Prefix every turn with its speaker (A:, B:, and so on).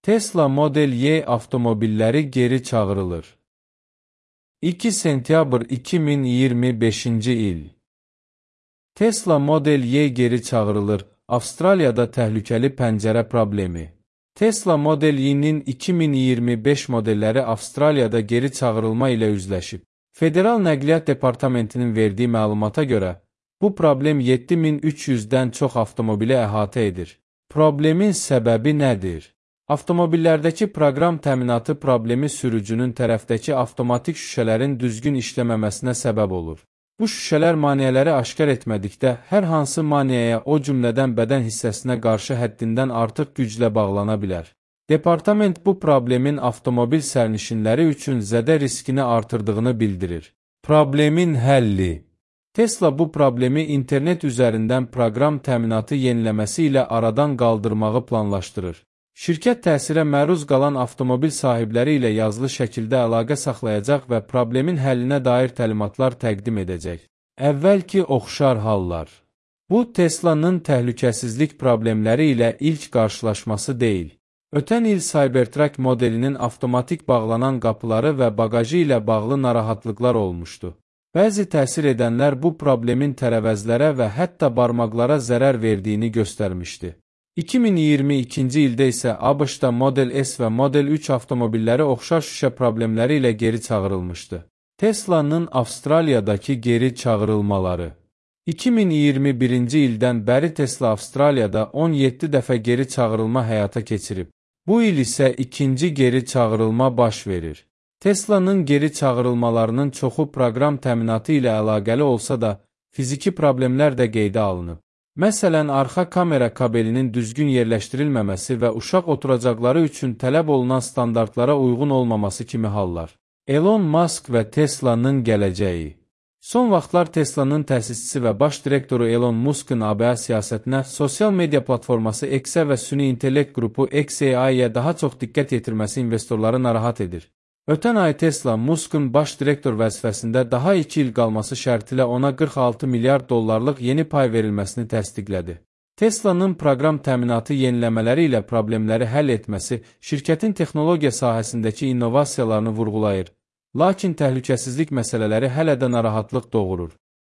A: Tesla Model Y avtomobilləri geri çağırılır. 2 sentyabr 2025-ci il. Tesla Model Y geri çağırılır. Avstraliyada təhlükəli pəncərə problemi. Tesla Model Y-nin 2025 modelləri Avstraliyada geri çağırılma ilə üzləşib. Federal Nəqliyyat Departamentinin verdiyi məlumata görə, bu problem 7300-dən çox avtomobili əhatə edir. Problemin səbəbi nədir? Avtomobillərdəki proqram təminatı problemi sürücünün tərəfdəki avtomatik şüşələrin düzgün işləməməsinə səbəb olur. Bu şüşələr maneələri aşkar etmədikdə, hər hansı maneəyə, o cümlədən bədən hissəsinə qarşı həddindən artıq güclə bağlana bilər. Departament bu problemin avtomobil sərnişinləri üçün zədə riskini artırdığını bildirir. Problemin həlli. Tesla bu problemi internet üzərindən proqram təminatı yeniləməsi ilə aradan qaldırmağı planlaşdırır. Şirkət təsirə məruz qalan avtomobil sahibləri ilə yazılı şəkildə əlaqə saxlayacaq və problemin həllinə dair təlimatlar təqdim edəcək. Əvvəlki oxşar hallar. Bu, Tesla'nın təhlükəsizlik problemləri ilə ilk qarşılaşması deyil. Ötən il Cybertruck modelinin avtomatik bağlanan qapıları və bagajı ilə bağlı narahatlıqlar olmuşdu. Bəzi təsir edənlər bu problemin tərəvəzlərə və hətta barmaqlara zərər verdiyini göstərmişdi. 2022-ci ildə isə ABŞ-da Model S və Model 3 avtomobilləri oxşar şüşə problemləri ilə geri çağırılmışdı. Tesla'nın Avstraliyadakı geri çağırılmaları. 2021-ci ildən bəri Tesla Avstraliyada 17 dəfə geri çağırılma həyata keçirib. Bu il isə ikinci geri çağırılma baş verir. Tesla'nın geri çağırılmalarının çoxu proqram təminatı ilə əlaqəli olsa da, fiziki problemlər də qeydə alınıb. Məsələn, arxa kamera kabelinin düzgün yerləşdirilməməsi və uşaq oturacaqları üçün tələb olunan standartlara uyğun olmaması kimi hallar. Elon Musk və Tesla'nın gələcəyi. Son vaxtlar Tesla'nın təsisçisi və baş direktoru Elon Musk'ın ABŞ siyasətinə, sosial media platforması X-ə və süni intellekt qrupu XAI-yə daha çox diqqət yetirməsi investorları narahat edir. Ötən ay Tesla, Musk'ın baş direktor vəzifəsində daha 2 il qalması şərtilə ona 46 milyard dollarlıq yeni pay verilməsini təsdiqlədi. Tesla'nın proqram təminatı yeniləmələri ilə problemləri həll etməsi şirkətin texnologiya sahəsindəki innovasiyalarını vurğulayır, lakin təhlükəsizlik məsələləri hələ də narahatlıq doğurur.